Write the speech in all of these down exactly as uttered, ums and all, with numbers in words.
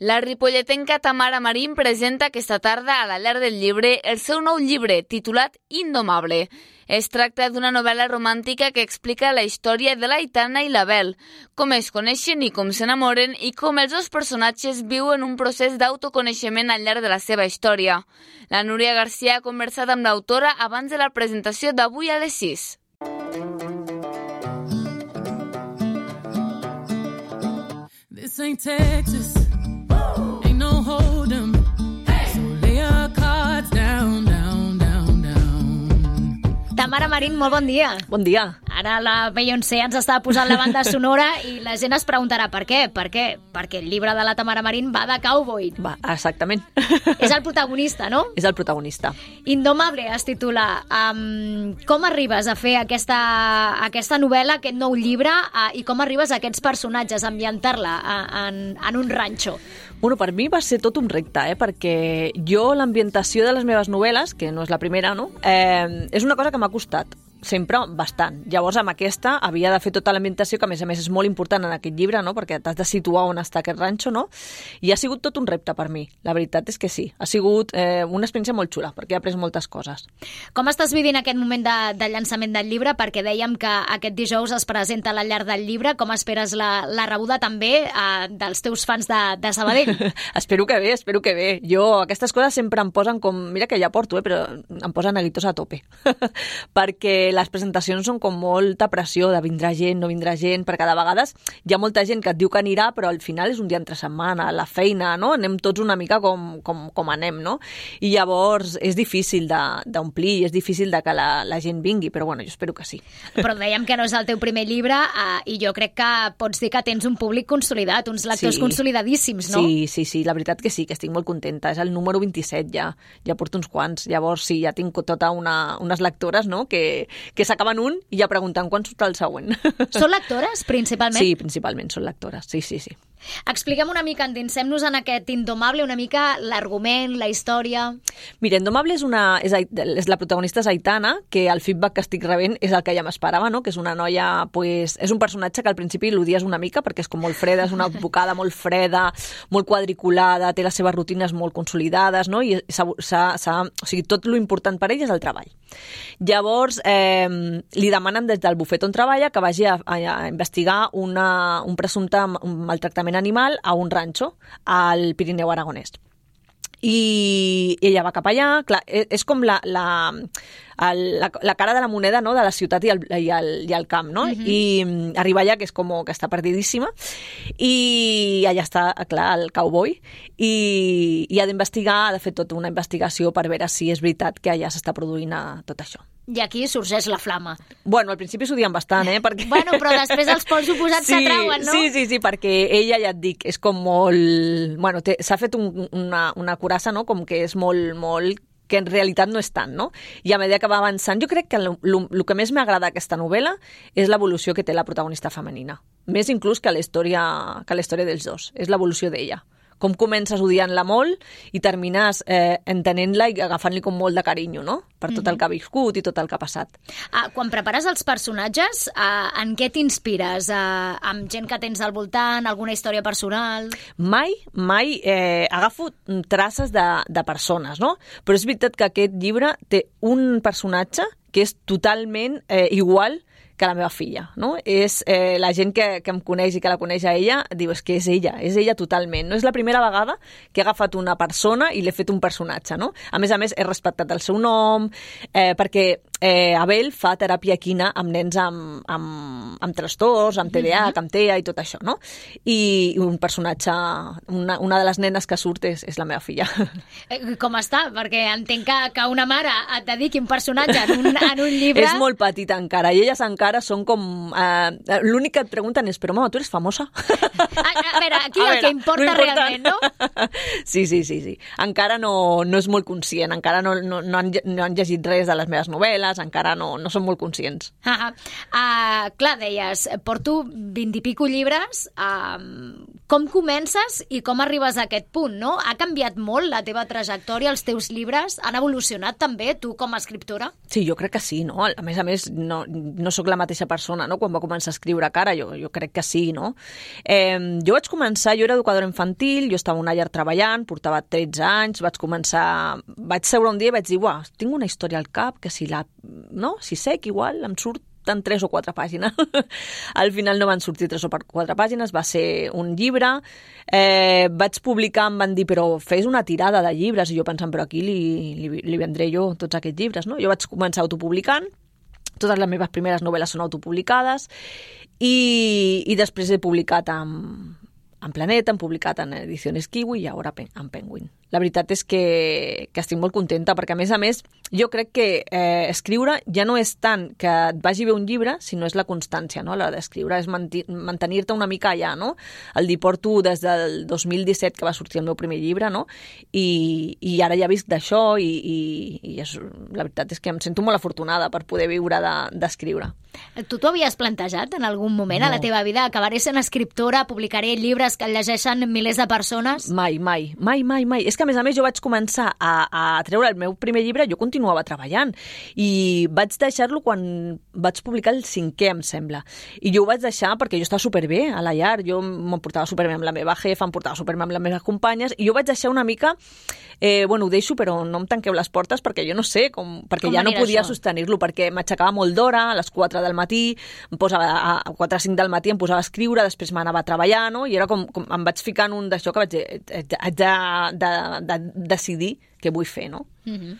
La ripolletenca Tamara Marín presenta aquesta tarda a la Llar del Llibre el seu nou llibre, titulat Indomable. Es tracta d'una novel·la romàntica que explica la història de l'Aitana i l'Abel, com es coneixen i com s'enamoren i com els dos personatges viuen un procés d'autoconeixement al llarg de la seva història. La Núria García ha conversat amb l'autora abans de la presentació d'avui a les sis. This ain't Texas. Ain't no hold 'em. So lay your cards down, down, down, down. Tamara Marín, molt bon dia. Bon dia. Ara la Beyoncé ens estava posant la banda sonora i la gent es preguntarà per què. Per què? Perquè el llibre de la Tamara Marín va de cowboy. Va, exactament. És el protagonista, no? És el protagonista. Indomable es titula. Um, com arribes a fer aquesta, aquesta novel·la, aquest nou llibre, uh, i com arribes a aquests personatges, a ambientar-la uh, en, en un ranxo? Bueno, per mi va ser tot un repte, eh? Perquè jo l'ambientació de les meves novel·les, que no és la primera, no? Eh, és una cosa que m'ha costat sempre bastant. Llavors, amb aquesta havia de fer tota l'ambientació, que a més a més és molt important en aquest llibre, no? Perquè t'has de situar on està aquest ranxo, no? I ha sigut tot un repte per mi. La veritat és que sí. Ha sigut eh, una experiència molt xula, perquè he après moltes coses. Com estàs vivint aquest moment de, de llançament del llibre? Perquè dèiem que aquest dijous es presenta a la Llar del Llibre. Com esperes la, la rebuda també eh, dels teus fans de, de Sabadell? Espero que bé, espero que bé. Jo, aquestes coses sempre em posen com... Mira que ja porto, eh, però em posen neguitos a tope. Perquè les presentacions són com molta pressió de vindrà gent, no vindrà gent, perquè de vegades hi ha molta gent que et diu que anirà, però al final és un dia entre setmana, la feina, no? Anem tots una mica com, com, com anem, no? I llavors és difícil d'omplir, és difícil de que la, la gent vingui, però bueno, jo espero que sí. Però dèiem que no és el teu primer llibre eh, i jo crec que pots dir que tens un públic consolidat, uns lectors sí. consolidadíssims, no? Sí, sí, sí, la veritat que sí, que estic molt contenta. És el número vint-i-set ja, ja porto uns quants. Llavors sí, ja tinc tota una, unes lectores, no?, que que s'acaben un i ja preguntant quan surt el següent. Són lectores, principalment? Sí, principalment són lectores, sí, sí, sí. Expliquem una mica, endinsem-nos en aquest Indomable, una mica l'argument, la història... Mira, Indomable és, una, és, és la protagonista és Aitana, que el feedback que estic rebent és el que ja m'esperava, no? Que és una noia, pues, és un personatge que al principi l'odies una mica perquè és com molt freda, és una advocada molt freda, molt quadriculada, té les seves rutines molt consolidades, no? I s'ha, s'ha, s'ha, o sigui, tot lo important per ella és el treball. Llavors, eh, li demanen des del bufet on treballa que vagi a, a, a investigar una, un presumpte maltractament animal a un ranxo al Pirineu aragonès. I ella va cap allà, clar, és com la, la, el, la, la cara de la moneda, no?, de la ciutat i el, i el, i el camp, no? Uh-huh. I arriba allà, que és com que està perdidíssima, i allà està, clar, el cowboy, i, i ha d'investigar, ha de fer tota una investigació per veure si és veritat que allà s'està produint tot això. I aquí sorgeix la flama. Bueno, al principi s'odien bastant, eh? Perquè... Bueno, però després els pols oposats sí, s'atrauen, no? Sí, sí, sí, perquè ella, ja et dic, és com molt... Bueno, s'ha fet un, una, una curassa, no?, com que és molt, molt... que en realitat no és tant, no? I a mesura que va avançant, jo crec que el que més m'agrada d'aquesta novel·la és l'evolució que té la protagonista femenina. Més inclús que la història, que la història dels dos. És l'evolució d'ella. Com comences odiant-la molt i termines eh, entenent-la i agafant-li com molt de carinyo, no? Per tot el que ha viscut i tot el que ha passat. Ah, quan prepares els personatges, ah, en què t'inspires? Ah, amb gent que tens al voltant, alguna història personal? Mai, mai eh, agafo traces de, de persones, no? Però és veritat que aquest llibre té un personatge que és totalment eh, igual que la meva filla, no? És eh, la gent que, que em coneix i que la coneix a ella, diu, és que és ella, és ella totalment. No és la primera vegada que he agafat una persona i l'he fet un personatge, no? A més a més, he respectat el seu nom, eh, perquè eh, Abel fa teràpia equina amb nens amb, amb, amb trastorns, amb T D A H, amb T E A i tot això, no? I un personatge, una, una de les nenes que surt és, és la meva filla. Com està? Perquè entenc que, que una mare et dediqui un personatge en un, en un llibre... És molt petita encara, i elles encara són com... Eh, l'únic que et pregunten és, però mama, tu eres famosa? A, a veure, aquí a el veure, que importa no realment, no? Sí, sí, sí, sí. Encara no, no és molt conscient, encara no, no, no, han, no han llegit res de les meves novel·les, elles encara no, no són molt conscients. Ah, uh, clar, deies, porto vint i pico llibres, uh, com comences i com arribes a aquest punt, no? Ha canviat molt la teva trajectòria, els teus llibres? Han evolucionat també, tu com a escriptora? Sí, jo crec que sí, no? A més a més, no, no sóc la mateixa persona, no?, quan va començar a escriure cara, jo, jo crec que sí, no? Eh, jo vaig començar, jo era educadora infantil, jo estava a una llar treballant, portava tretze anys, vaig començar, vaig seure un dia i vaig dir, uah, tinc una història al cap, que si la, no?, si sec igual, em surt en tres o quatre pàgines. Al final no van sortir tres o quatre pàgines, va ser un llibre. Eh, vaig publicar, em van dir, però fes una tirada de llibres, i jo pensant, però aquí li, li, li vendré jo tots aquests llibres, no? Jo vaig començar autopublicant, totes les meves primeres novel·les són autopublicades, i, i després he publicat amb, en Planeta, hem publicat en Ediciones Kiwi i ara en Penguin. La veritat és que, que estic molt contenta, perquè a més a més jo crec que eh, escriure ja no és tant que et vagi bé un llibre, sinó és la constància, no?, a l'hora d'escriure, és mantenir-te una mica allà, no? El dir, porto des del dos mil disset que va sortir el meu primer llibre, no?, i, i ara ja visc d'això, i, i, i és, la veritat és que em sento molt afortunada per poder viure d'escriure. De, tu t'ho havies plantejat en algun moment no. a la teva vida? Acabaré sent escriptora, publicaré llibres que llegeixen milers de persones? Mai, mai, mai, mai, mai. És que a més a més jo vaig començar a, a treure el meu primer llibre, jo continuava treballant i vaig deixar-lo quan vaig publicar el cinquè, em sembla. I jo ho vaig deixar perquè jo estava superbé a la llar, jo m'ho portava superbé amb la meva jefa, em portava superbé amb les meves companyes, i jo vaig deixar una mica, eh, bueno, ho deixo, però no em tanqueu les portes perquè jo no sé, com, perquè com ja no podia sostenir-lo, perquè m'aixecava molt d'hora, a les quatre del matí, em posava a quatre o cinc del matí, em posava a escriure, després m'anava a treballar, no? I era com, com em vaig ficar en un d'això que vaig dir, haig de, de, de decidir què vull fer, no? Mm-hmm.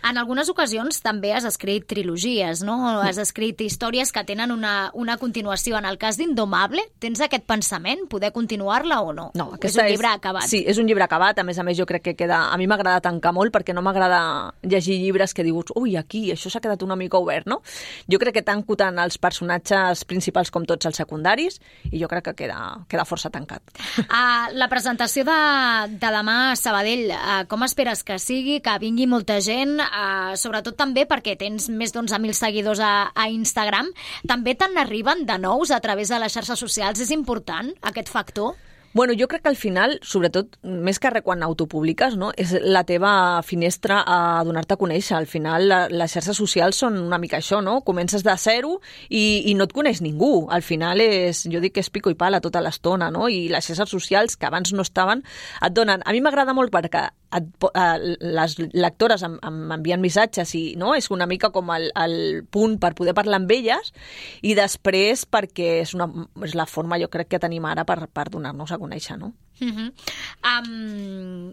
En algunes ocasions també has escrit trilogies, no? Has escrit històries que tenen una, una continuació. En el cas d'Indomable, tens aquest pensament? Poder continuar-la o no? No, és un llibre és, acabat. Sí, és un llibre acabat. A més a més, jo crec que queda... A mi m'agrada tancar molt perquè no m'agrada llegir llibres que dius, ui, aquí, això s'ha quedat una mica obert, no? Jo crec que tanco tant els personatges principals com tots els secundaris i jo crec que queda, queda força tancat. Uh, la presentació de, de demà a Sabadell, uh, com esperes que sigui, que vingui molta gent, eh, sobretot també perquè tens més d'onze mil seguidors a, a Instagram. També te n'arriben de nous a través de les xarxes socials? És important aquest factor? Bueno, jo crec que al final, sobretot, més que res quan autopubliques, no?, és la teva finestra a donar-te a conèixer. Al final, la, les xarxes socials són una mica això, no? Comences de zero i, i no et coneix ningú. Al final, és, jo dic que és pico i pala tota l'estona, no? I les xarxes socials, que abans no estaven, et donen... A mi m'agrada molt perquè et, eh, les lectores em, em envien missatges i, no?, és una mica com el, el punt per poder parlar amb elles, i després perquè és, una, és la forma, jo crec, que tenim ara per, per donar-nos a conèixer, no? Uh-huh. Um,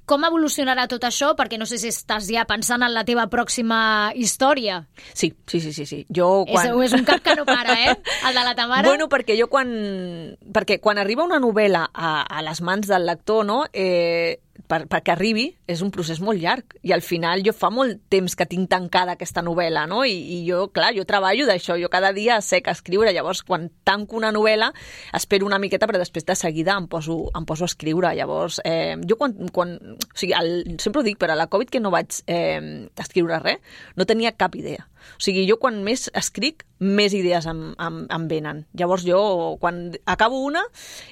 com evolucionarà tot això? Perquè no sé si estàs ja pensant en la teva pròxima història. Sí, sí, sí, sí. sí. Jo quan... és, és un cap que no para, eh? El de la Tamara. Bueno, perquè jo quan... Perquè quan arriba una novel·la a, a les mans del lector, no?, eh, per, perquè arribi, és un procés molt llarg. I al final jo fa molt temps que tinc tancada aquesta novel·la, no? I, i jo, clar, jo treballo d'això. Jo cada dia sé que escriure. Llavors, quan tanco una novel·la, espero una miqueta, però després de seguida em poso, em poso a escriure. Llavors, eh, jo quan... quan o sigui, el, sempre ho dic, però a la Covid que no vaig eh, escriure res, no tenia cap idea. O sigui, jo quan més escric, més idees em, em, em venen. Llavors jo, quan acabo una,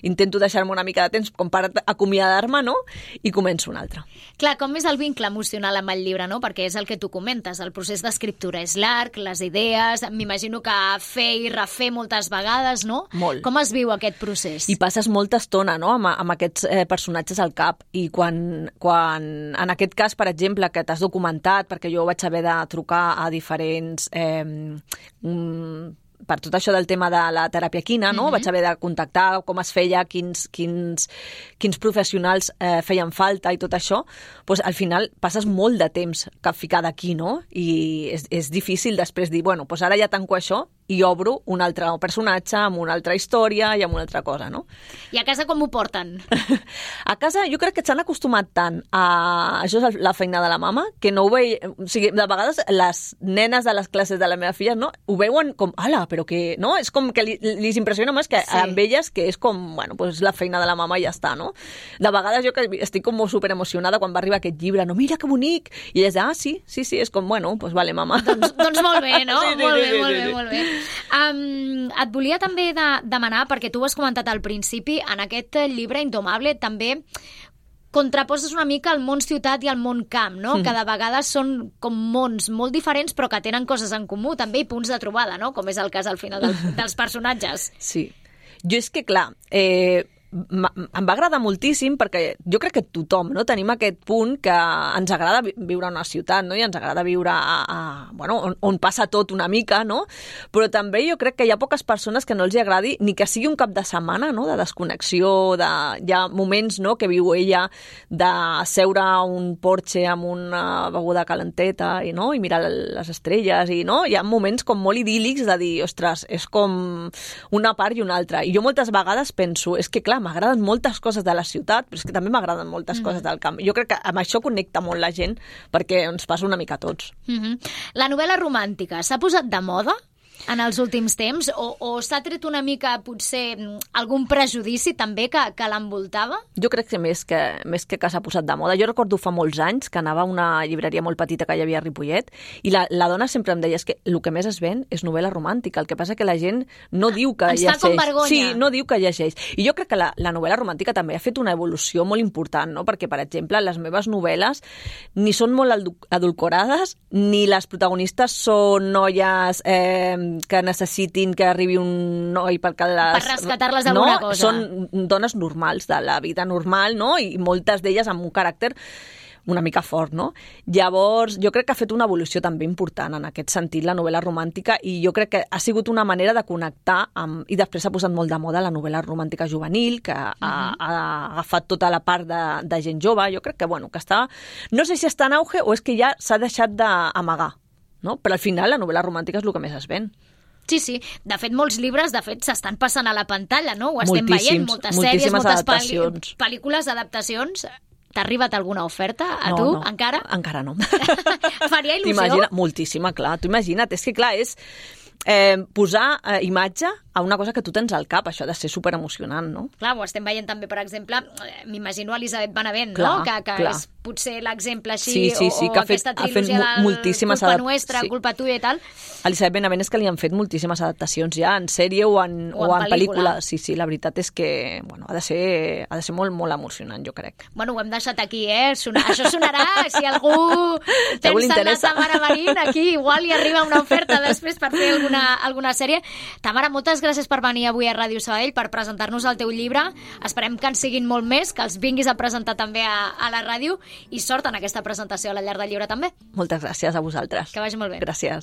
intento deixar-me una mica de temps com per acomiadar-me, no?, i començo una altra. Clar, com és el vincle emocional amb el llibre, no? Perquè és el que tu comentes, el procés d'escriptura és llarg, les idees, m'imagino que fer i refer moltes vegades, no? Molt. Com es viu aquest procés? I passes molta estona, no?, amb, amb aquests eh, personatges al cap, i quan, quan, en aquest cas, per exemple, que t'has documentat, perquè jo vaig haver de trucar a diferents... Eh, per tot això del tema de la teràpia equina, no? Mm-hmm. Vaig haver de contactar com es feia, quins, quins, quins professionals eh, feien falta i tot això. Pues, al final passes molt de temps ficada aquí, no? I és, és difícil després dir, bueno, pues ara ja tanco això i obro un altre personatge amb una altra història i amb una altra cosa, no? I a casa com ho porten? A casa jo crec que s'han acostumat tant a... Això és la feina de la mama, que no ho veia... O sigui, de vegades les nenes de les classes de la meva filla, no? Ho veuen com, ala, però que... No? És com que li, li impressiona més que sí. Amb elles, que és com, bueno, pues la feina de la mama i ja està, no? De vegades jo que estic com super emocionada quan va arribar aquest llibre, no, mira que bonic! I ella diu, ah, sí, sí, sí, és com, bueno, pues vale, mama. Doncs, doncs molt bé, no? Sí, sí, molt sí, bé, sí, molt sí, bé, sí. molt bé. Um, et volia també de, demanar, perquè tu ho has comentat al principi, en aquest llibre Indomable també contraposes una mica el món ciutat i el món camp, no? Mm. Que de vegades són com mons molt diferents però que tenen coses en comú també i punts de trobada, no? Com és el cas al final del, dels personatges. Sí. Jo és que, clar, eh, em va agradar moltíssim perquè jo crec que tothom, no, tenim aquest punt que ens agrada viure en una ciutat, no? I ens agrada viure a, a, bueno, on, on passa tot una mica, no? Però també jo crec que hi ha poques persones que no els hi agradi ni que sigui un cap de setmana, no? De desconnexió, de, hi ha moments, no?, que viu ella de seure a un porxe amb una beguda calenteta i, no? I mirar les estrelles i, no? Hi ha moments com molt idíl·lics de dir, ostres, és com una part i una altra. I jo moltes vegades penso, és que clar, m'agraden moltes coses de la ciutat, però és que també m'agraden moltes mm. coses del camp. Jo crec que amb això connecta molt la gent perquè ens passa una mica a tots. Mm-hmm. La novel·la romàntica s'ha posat de moda en els últims temps o, o s'ha tret una mica potser algun prejudici també que, que l'envoltava? Jo crec que més que, més que, que s'ha posat de moda. Jo recordo fa molts anys que anava a una llibreria molt petita que hi havia a Ripollet i la, la dona sempre em deia és que el que més es ven és novel·la romàntica. El que passa que la gent no diu que Ens llegeix. fa com vergonya. Sí, no diu que llegeix. I jo crec que la, la novel·la romàntica també ha fet una evolució molt important, no? Perquè, per exemple, les meves novel·les ni són molt adulcorades ni les protagonistes són noies eh, que necessitin que arribi un noi perquè les... Per rescatar-les d'alguna no, cosa. Són dones normals, de la vida normal, no? I moltes d'elles amb un caràcter una mica fort, no? Llavors, jo crec que ha fet una evolució també important en aquest sentit, la novel·la romàntica, i jo crec que ha sigut una manera de connectar amb... I després s'ha posat molt de moda la novel·la romàntica juvenil, que ha, uh-huh. ha agafat tota la part de, de gent jove. Jo crec que, bueno, que està... No sé si està en auge o és que ja s'ha deixat d'amagar, no? Però al final la novel·la romàntica és el que més es ven. Sí, sí. De fet, molts llibres, de fet, s'estan passant a la pantalla, no? Ho estem veient. Moltes moltíssimes sèries, moltes adaptacions. Pel·li... pel·lícules, adaptacions. T'ha arribat alguna oferta a no, tu, no. encara? Encara no. Faria il·lusió? T'imagina, moltíssima, clar. Tu imagina't, és que clar, és eh, posar eh, imatge a una cosa que tu tens al cap, això ha de ser super emocionant, no? Clar, ho estem veient també, per exemple, m'imagino Elisabet Benavent, clar, no? Que, que clar. és potser l'exemple així, sí, sí, sí, o, o que ha fet, aquesta ha fet trilogia del moltíssimes culpa adap... nuestra, sí. culpa tuya i tal. Elisabet Benavent és que li han fet moltíssimes adaptacions ja, en sèrie o en, o en, o en pel·lícula. pel·lícula. Sí, sí, la veritat és que bueno, ha de ser, ha de ser molt, molt emocionant, jo crec. Bueno, ho hem deixat aquí, eh? Sona... Això sonarà, si algú pensa en la Tamara Marín, aquí igual hi arriba una oferta després per fer alguna, alguna sèrie. Tamara, moltes gràcies per venir avui a Ràdio Sabadell per presentar-nos el teu llibre. Esperem que en siguin molt més, que els vinguis a presentar també a, a la ràdio i sort en aquesta presentació a la Llar del Llibre també. Moltes gràcies a vosaltres. Que vagi molt bé. Gràcies.